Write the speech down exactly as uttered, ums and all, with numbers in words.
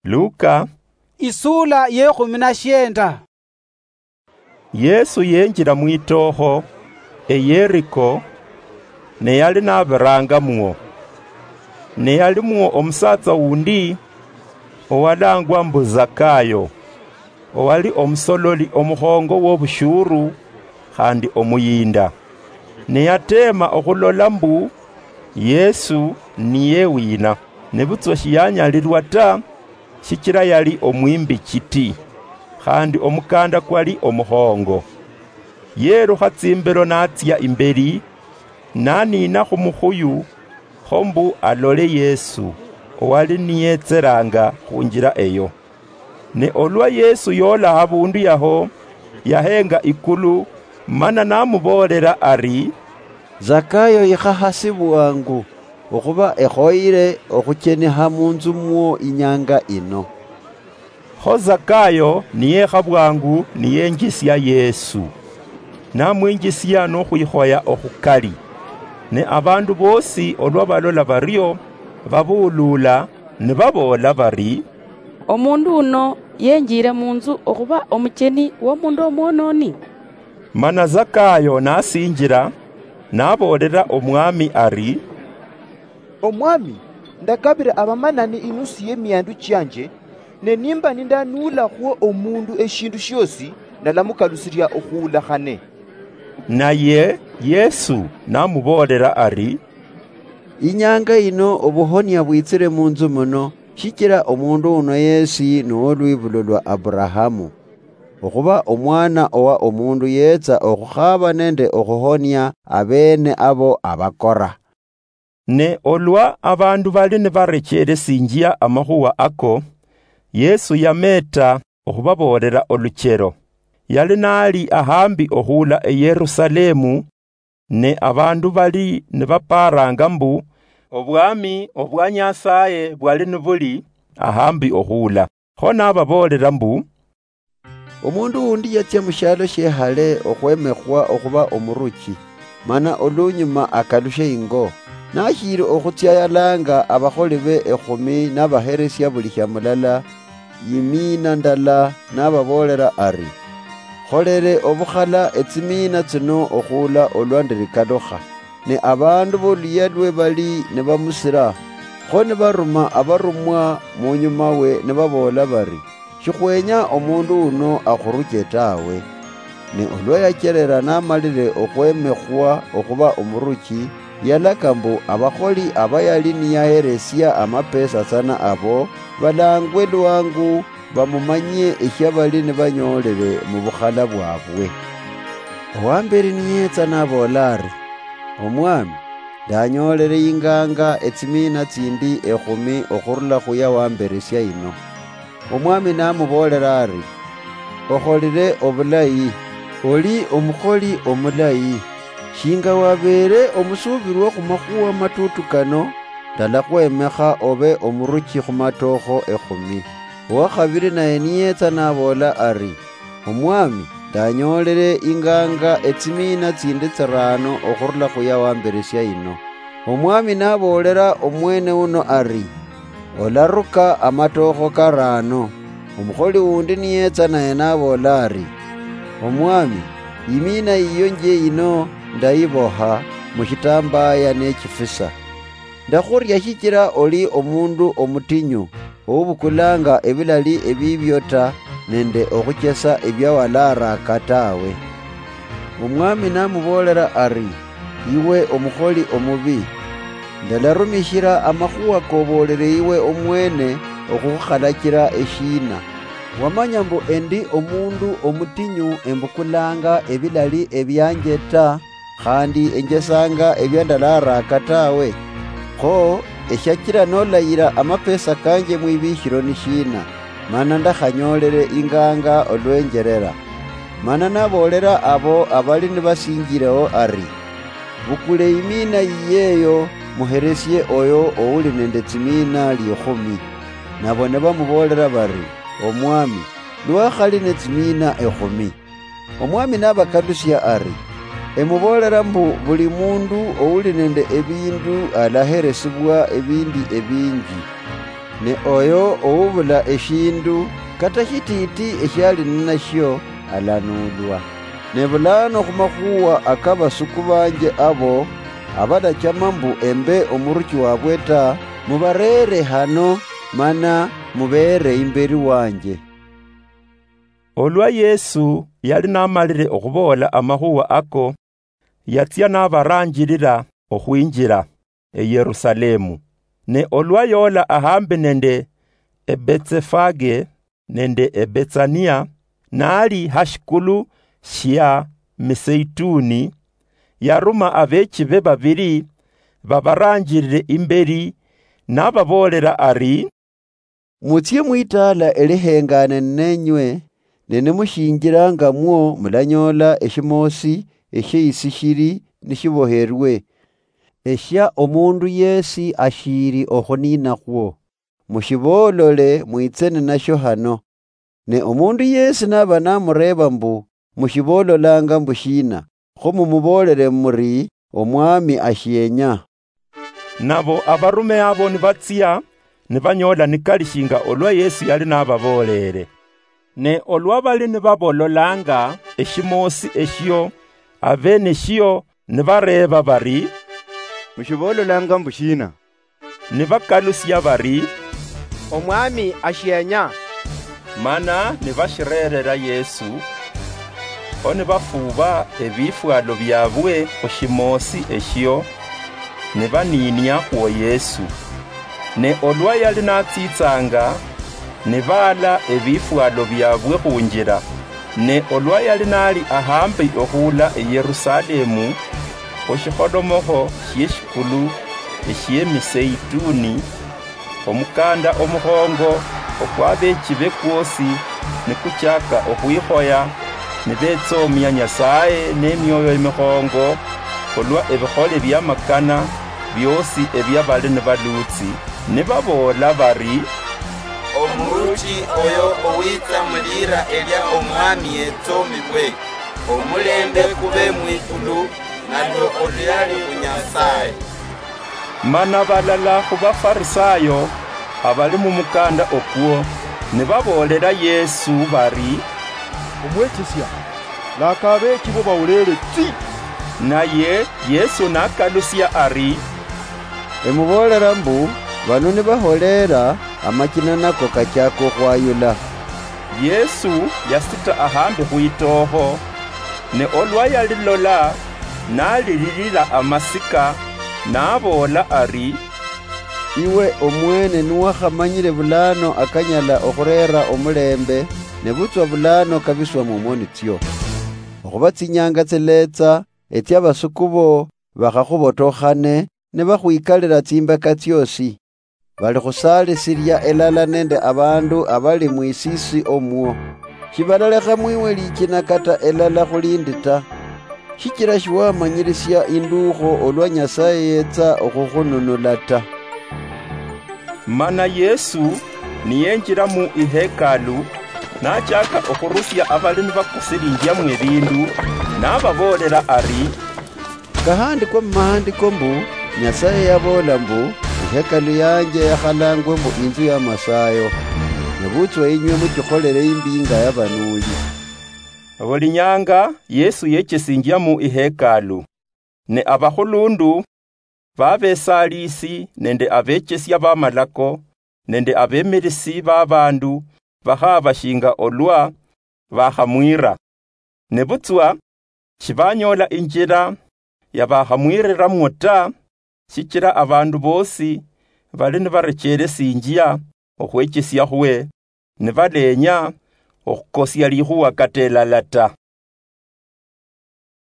Luka, isuula yekhumi na shienda. Yesu yenjira mwitookho, eYeriko, ne yali nabirangamwo. Ne yalimwo omusaatsa wundi, owalangwa mbu Zakayo, owali omusololi omukhongo wobushuru khandi omuyinda. Ne yateema okhulola mbu Yesu niye wina, nebutswa shiyanyalilwa ta, shichila yali omwimbi chiti, khandi omukanda kwali omukhongo. Yerukha tsimbelo natsia imbeli, naniina khumukhuyu, kho mbu alole Yesu, owali niyetselanga khunjila eyo. Ne olwa Yesu yoola habundu yaho, yahenga ikulu, mana namuboolela ari, "Zakayo, yikha hasi bwangu, okhuba ekhoyile okhuchenikha munzu mwo inyanga ino." Kho Zakayo niyekha bwangu niyenjisia Yesu, namwinjisia nokhwikhoya okhukali. Ne abandu bosi olwa balola bario, babuulula, nibaboola bari, "Omundu uno yenjiire munzu okhuba omucheni womundu omwonooni?" Mana Zakayo nasinjila, naboolela Omwami ari, "Omwami, ndakabila abamanani inusu yemiandu chianje, ne nimba nindanuulakhwo omundu eshindu shiosi, ndalamukalusilia okhuula khane." Naye Yesu namuboolela ari, "Inyanga ino obuhonia bwitsile munzu muno, shichila omundu uno yesi nuwolwibulo lwa Aburahamu. Okhuba omwana owa omundu yetsa okhukhaaba nende okhuhonia abeene abo abakora." Ne olwa abandu bali nibarecheelesinjia amakhuwa ako, Yesu yameeta okhubaboolela oluchelo. Yali nali ahambi okhuula eYerusalemu, ne abandu bali nibaparanga mbu, obwami obwa Nyasaye bwali nibuli ahambi okhuula. Kho nababoolela mbu, "Omundu wundi yatsia mushialo shiehale okhwemekhwa okhuba omuruchi, mana olunyuma akalushe ingo. Nashiili okhutsia yalanga abakholi be ekhumi nabaheresia buli shia mulala, yimiina ndala, nababoolela ari, 'Kholele obukhala etsimina tsino okhuula olwa ndirikalukha.' Ne abandu boluyia lwe bali nibamusila, kho nibaruma abarumwa munyuma we nibaboola bari, 'Shikhwenya omundu uno akhuruche tawe.' Ne olwa yacherera namalile okhwemekhwa okhuba omuruchi, yalaka mbu abakholi aba yali niyaheresia amapesa tsana abo balangwe lwangu, bamumanyie eshia bali nibanyoolele mu bukhala bwabwe. Owamberi niyetsa naboola ari, 'Omwami, ndanyoolele inganga etsimina tsindi ekhumi okhurula khu ya wamberesia ino.' Omwami namuboolela ari, 'Okholile obulayi, oli omukholi omulayi. Shinga wabeele omusuubilwa khumakhuwa matutu kano, ndalakhwemekha obe omuruchi khumatookho ekhumi.' Owakhabili naye niyetsa naboola ari, 'Omwami, ndanyoolele inganga etsimina tsindi tsirano okhurula khu ya wamberesia ino.' Omwami naboolela omwene uno ari, 'Olaruka amatookho karano.' Omukholi wundi niyetsa naye naboola ari, 'Omwami, imina yiyo njie yino ndayiboha mu shitambaya nechifisa. Ndakhuria shichila oli omundu omutinyu, oubukulanga ebilali ebibio ta, nende okhuchesa ebia walaraka tawe.' Omwami namuboolela ari, 'Iwe omukholi omubi, ndalarumishila amakhuwa koboolele iwe omwene okhukhukhalachila eshiina? Wamanya mbu endi omundu omutinyu, embukulanga ebilali ebianje ta, khandi enjesanga ebia ndalaraka tawe. Kho eshachila nolayila amapesa kanje mwibikhilo ni shiina, mana ndakhanyoolele inganga olwenjelela?' Mana naboolela abo abali nibasinjileho ari, 'Bukule imina yiye eyo, muheresie oyo ouli nende tsimina likhumi.' Nabo nibamuboolela bari, 'Omwami, lwakhali netsimina ekhumi.' Omwami nabakalusia ari, 'Emuboolela mbu buli mundu ouli nende ebindu alaheresibwa ebindi ebinji, Ne oyo oubula eshindu kata shititi eshiali ninashio alanuulwa. Ne bulano khumakhuwa akabasuku banje abo abalachama mbu embe omuruchi wabwe ta, mubarere hano, mana mubeere imberi wanje." Olwa Yesu yali namalire okhuboola amakhuwa ako, yatsia nabaranjirira okhwinjira eYerusalemu. Ne olwa yoola ahambi nende eBetsefage nende eBetsania, nali hashikulu shia Miseituni, yaruma abechibe babiri babaranjirire imberi, nababoolera ari, "Mutsie mwitaala elihengane ninenywe, ne nimushinjirangamwo mulanyoola eshimoosi esheisi shili nishiboherwe, eshia omundu yesi ashiili okhuninakhwo. Mushiboolole mwitse ninashio hano. Ne omundu yesi naba namureeba mbu, 'Mushiboololanga mbu shina?' Kho mumuboolere muri, 'Omwami ashienya.'" Nabo abarume abo nibatsia, nibanyoola nikali shinga olwa Yesu yali nababoolere. Ne olwa bali nibabololanga eshimoosi eshio, abene shio nibareeba bari, "Mushiboololanga mbu shina?" Nibakalusia bari, "Omwami ashienya." Mana nibashirerera Yesu, kho nibafuuba ebifwalo biabwe khushimoosi eshio, nibaninia khwo Yesu. Ne olwa yali natsitsanga, nibaala ebifwalo biabwe khunjira. Ne olwa yali nali ahambi okhula eYerusalemu, khushikholomokho shieshikulu eshiemiseituni, omukanda omukhongo okwabechibe kwosi nikuchaka okhwikhoya, nibetsomia Nyasaye nemioyo emikhongo khulwa ebikhole biamakana biosi ebia bali nibalutsi, nibaboola bari, "Omuruchi oyo owitsa mulira elia Omwami yetsomibwe, omulembe kube mwikulu, nalwo oluyali khu Nyasaye." Mana balala khu Bafarisayo abali mumukanda okwo, nibaboolera Yesu bari, "Omwechesya, laka abeechibo bawuleere tsi." Naye Yesu nakalusia ari, "Emuboolera mbu, bano nibaholeera, amachina nako kachaka okhwayula." Yesu yasita ahambi khwitookho, ne olwa yalilola, nalililila amasika, naboola ari, "Iwe omwene niwakhamanyire bulano akanyala okhureera omulembe, nebutswa bulano kabiswa mumoni tsio. Okhuba tsinyanga tsiletsa, etsia abasuku bo bakhakhubotookhane, nibakhwikalira tsimbeka tsiosi. Balikhusaalisiria elala nende abandu abali mwisiisi omwo. Shibalalekha mwiwe lichina kata elala khulindi ta, shichira shiwamanyirisia induukho olwa Nyasaye yetsa okhukhununula ta." Mana Yesu niyenjira mu ihekalu, nachaka okhurusia abali nibakusilinjiamwo ebindu, nababoolera ari, "Kahandikwa mumahandiko mbu, Nyasaye yaboola mbu, 'Ihekalu yanje yakhalangwe mbu inzu ya masayo.' Nebutswa inywe muchikholere imbi nga yabanuuli." Buli nyanga Yesu yechesinjia mu ihekalu, ne abakhulundu, babesalisi nende abechesia bamalako, nende abemirisi babandu bakhaba shinga olwa bakhamwira. Nebutswa shibanyoola injira yabakhamwiriramwo ta, shichira abandu bosi bali nibarecheresinjia okhwechesia khwe, nibaleenya okhukosia likhuwa kata elala ta.